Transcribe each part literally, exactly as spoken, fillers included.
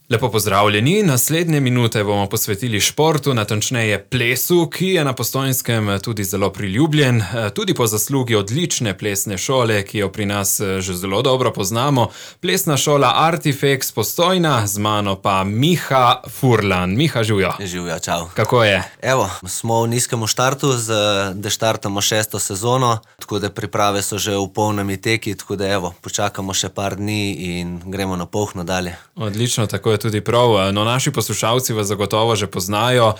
Lepo pozdravljeni. Naslednje minute bomo posvetili športu, natančneje plesu, ki je na Postojnskem tudi zelo priljubljen, tudi po zaslugi odlične plesne šole, ki jo pri nas že zelo dobro poznamo. Plesna šola Artifex Postojna, z mano pa Miha Furlan. Miha, živjo. Živjo, čau. Kako je? Evo, smo v nizkem štartu, da štartamo šesto sezono, tako da priprave so že v polnem teki, tako da evo, počakamo še par dni in gremo na polhno dalje. Odlično, tako je tudi prav. No, naši poslušalci vas zagotovo že poznajo.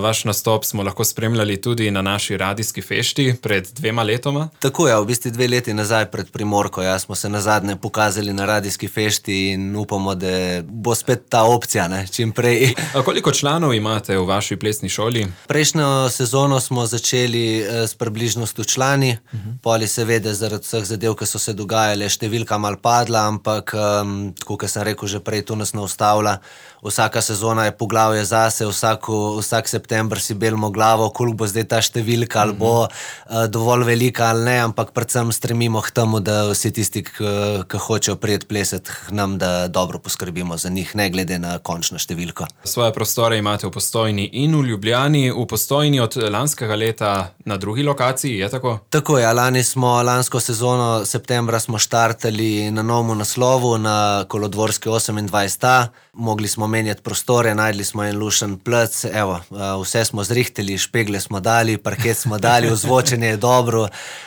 Vaš nastop smo lahko spremljali tudi na naši radijski fešti pred dvema letoma. Tako je, v bistvu dve leti nazaj pred Primorko. Ja, smo se nazadnje pokazali na radijski fešti in upamo, da bo spet ta opcija, ne, čim prej. A koliko članov imate v vaši plesni šoli? Prejšnjo sezono smo začeli s približno sto člani. Uh-huh. Poli seveda zaradi vseh zadev, ki so se dogajale, številka malo padla, ampak um, tako, kot sem rekel že prej, to nas ne ustavlja. Vsaka sezona je poglavje zase, vsako, vsak september si belimo glavo, koliko bo zdaj ta številka, ali bo uh, dovolj velika ali ne, ampak predvsem stremimo k temu, da vsi tisti, ki hočejo prijeti plesati k nam, da dobro poskrbimo za njih, ne glede na končno številko. Svoje prostore imate v Postojni in v Ljubljani. V Postojni od lanskega leta na drugi lokaciji, je tako? Tako je, lani smo lansko sezono, septembra smo štartali na novem naslovu, na Kolodvorski osemindvajset A. Mogli smo menjati prostore, najdli smo en lušen plec, evo, vse smo zrihteli, špegle smo dali, parket smo dali, ozvočenje je dobro,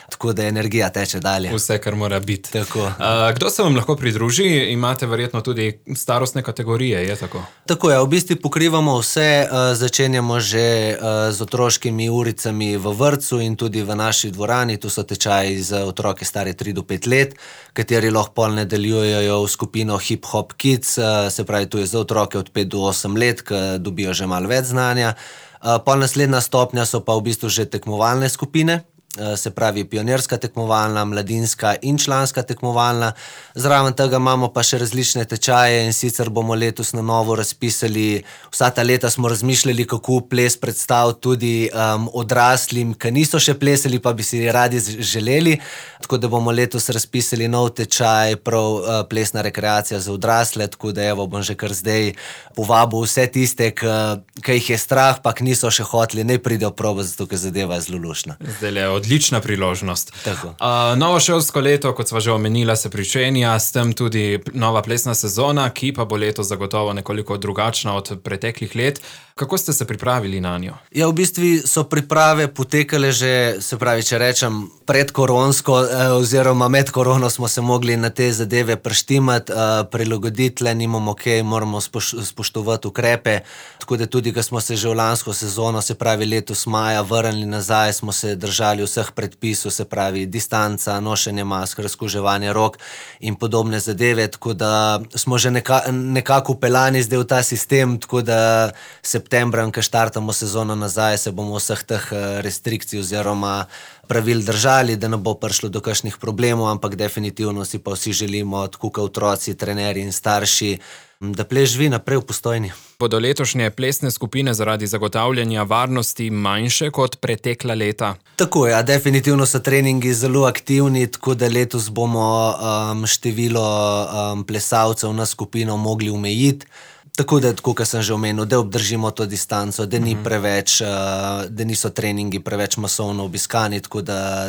tako da energija teče dalje. Vse, kar mora biti. Tako. A, kdo se vam lahko pridruži? Imate verjetno tudi starostne kategorije, je tako? Tako je, v bistvu pokrivamo vse, začenjamo že z otroškimi uricami v vrtcu in tudi v naši dvorani, tu so tečaji za otroke stari tri do pet let, kateri lahko pol nadaljujejo v skupino Hip Hop Kids, se pravi, tu je za otroke od pet do osem let, ki dobijo že malo več znanja. Pol naslednja stopnja so pa v bistvu že tekmovalne skupine, se pravi pionirska tekmovalna, mladinska in članska tekmovalna. Zraven tega imamo pa še različne tečaje in sicer bomo letos na novo razpisali, vsa ta leta smo razmišljali, kako ples predstaviti tudi um, odraslim, ki niso še plesali, pa bi si radi želeli, tako da bomo letos razpisali nov tečaj, prav uh, plesna rekreacija za odrasle, tako da evo, bom že kar zdaj povabil vse tiste, ki jih je strah, pa ki niso še hoteli, ne pridejo probo, zato ker zadeva je zelo lušna. Odlična priložnost. Tako. Uh, novo šolsko leto, kot sva že omenila, se pričenja, s tem tudi nova plesna sezona, ki pa bo letos zagotovo nekoliko drugačna od preteklih let. Kako ste se pripravili na njo? Ja, v bistvu so priprave potekale že, se pravi, če rečem, predkoronsko eh, oziroma med korono smo se mogli na te zadeve preštimati, eh, prilagoditi, le nimamo kaj, moramo spoš, spoštovati ukrepe, tako da tudi, ko smo se že v lansko sezono, se pravi letos maja, vrnili nazaj, smo se držali vseh predpisov, se pravi distanca, nošenje mask, razkuževanje rok in podobne zadeve, tako da smo že neka, nekako pelani zdaj v ta sistem, tako da septembra, ko štartamo sezono nazaj, se bomo vseh teh restrikcij oziroma pravil držali, da ne bo prišlo do kakšnih problemov, ampak definitivno si pa vsi želimo, tako kot otroci, trenerji in starši, da ples živi naprej v Postojni. Bodo letošnje plesne skupine zaradi zagotavljanja varnosti manjše kot pretekla leta? Tako je, ja, definitivno so treningi zelo aktivni, tako da letos bomo um, število um, plesalcev na skupino mogli omejiti. Tako da, tako kot sem že omenil, da obdržimo to distanco, da ni preveč, da niso treningi preveč masovno obiskani, tako da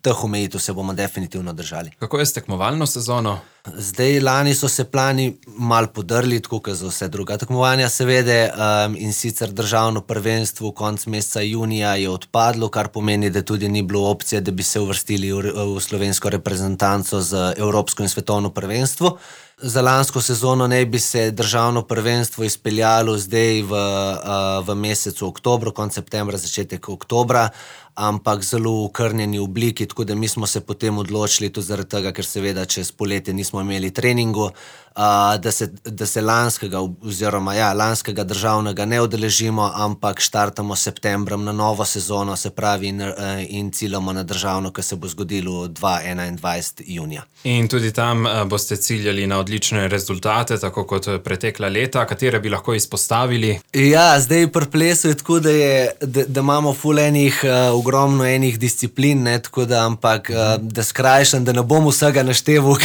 teh omejitev se bomo definitivno držali. Kako je s tekmovalno sezono? Zdaj, lani so se plani malo podrli, tako kot za vse druga tekmovanja seveda, um, in sicer državno prvenstvo konec meseca junija je odpadlo, kar pomeni, da tudi ni bilo opcije, da bi se uvrstili v, v slovensko reprezentanco za evropsko in svetovno prvenstvo. Za lansko sezono naj bi se državno prvenstvo izpeljalo zdaj v, uh, v mesecu oktobru, konec septembra, začetek oktobra, ampak zelo v krnjeni obliki, tako da mi smo se potem odločili tudi zaradi tega, ker seveda čez poletje nismo imeli treningu, uh, da, se, da se lanskega oziroma ja, lanskega državnega ne udeležimo, ampak štartamo septembrom na novo sezono, se pravi in, in ciljamo na državno, ki se bo zgodilo dvaindvajsetega junija. In tudi tam uh, boste ciljali na odlične rezultate, tako kot pretekla leta, katere bi lahko izpostavili? Ja, zdaj pri plesu je tako, da, je, da, da imamo ful enih, uh, ogromno enih disciplin, ne, tako da, ampak uh, da skrajšam, da ne bom vsega našteval,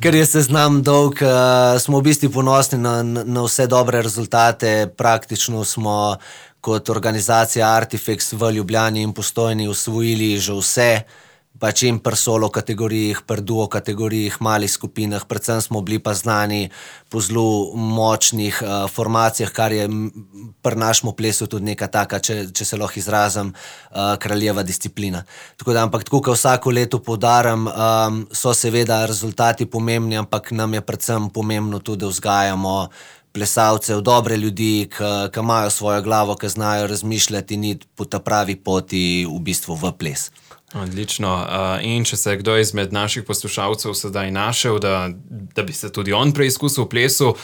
ker je seznam dolg. uh, smo v bistvu ponosni na, na vse dobre rezultate. Praktično smo kot organizacija Artifex v Ljubljani in Postojni osvojili že vse, pač in pri solo kategorijih, pri duo kategorijih, malih skupinah, predvsem smo bili pa znani po zelo močnih uh, formacijah, kar je pri našemu plesu tudi neka taka, če, če se lahko izrazim, uh, kraljeva disciplina. Tako da, ampak tako, kot vsako leto poudarim, um, so seveda rezultati pomembni, ampak nam je predvsem pomembno tudi, da vzgajamo plesalcev, dobre ljudi, ki imajo svojo glavo, ki znajo razmišljati in iti po ta pravi poti v bistvu v ples. Odlično. In če se je kdo izmed naših poslušalcev sedaj našel, da, da bi se tudi on preizkusil v plesu,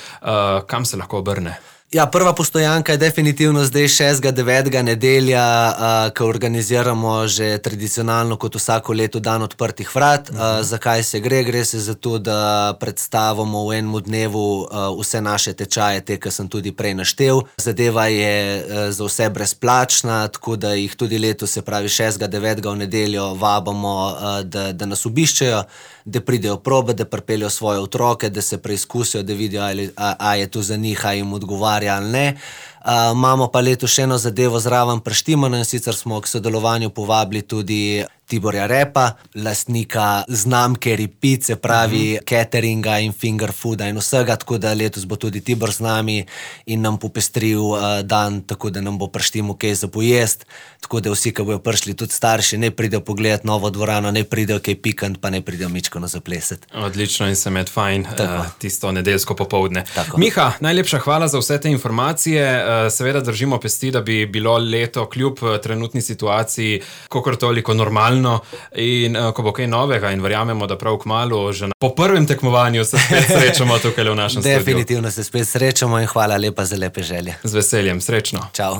kam se lahko obrne? Ja, prva postojanka je definitivno zdaj šestega devetega nedelja, uh, ko organiziramo že tradicionalno kot vsako leto dan odprtih vrat. Uh, zakaj se gre? Gre se za to, da predstavimo v enem dnevu uh, vse naše tečaje, te, ki sem tudi prej naštel. Zadeva je uh, za vse brezplačna, tako da jih tudi letos, se pravi šestega devetega v nedeljo, vabamo, uh, da, da nas obiščejo, da pridejo probe, da pripeljejo svoje otroke, da se preizkusijo, da vidijo, ali, a, a je to za njih, a jim odgovarja ali ne. Uh, imamo pa letos še eno zadevo zraven preštimano, in sicer smo k sodelovanju povabili tudi Tiborja Repa, lastnika znamke Repeat, pravi uh-huh. cateringa in finger fooda in vsega, tako da letos bo tudi Tibor z nami in nam popestril uh, dan, tako da nam bo preštimo kaj za pojest, tako da vsi, ki bojo prišli, tudi starši, ne pridejo pogledat novo dvorano, ne pridejo kaj pikant, pa ne pridejo mičko na zaplesati. Odlično in se med fajn uh, tisto nedeljsko popoldne. Tako. Miha, najlepša hvala za vse te informacije. Uh, seveda držimo pesti, da bi bilo leto kljub uh, trenutni situaciji kakor toliko normalno in uh, ko bo kaj novega in verjamemo, da prav kmalu že na, po prvem tekmovanju se spet srečamo tukaj v našem studiu. Definitivno se spet srečamo in hvala lepa za lepe želje. Z veseljem, srečno. Čau.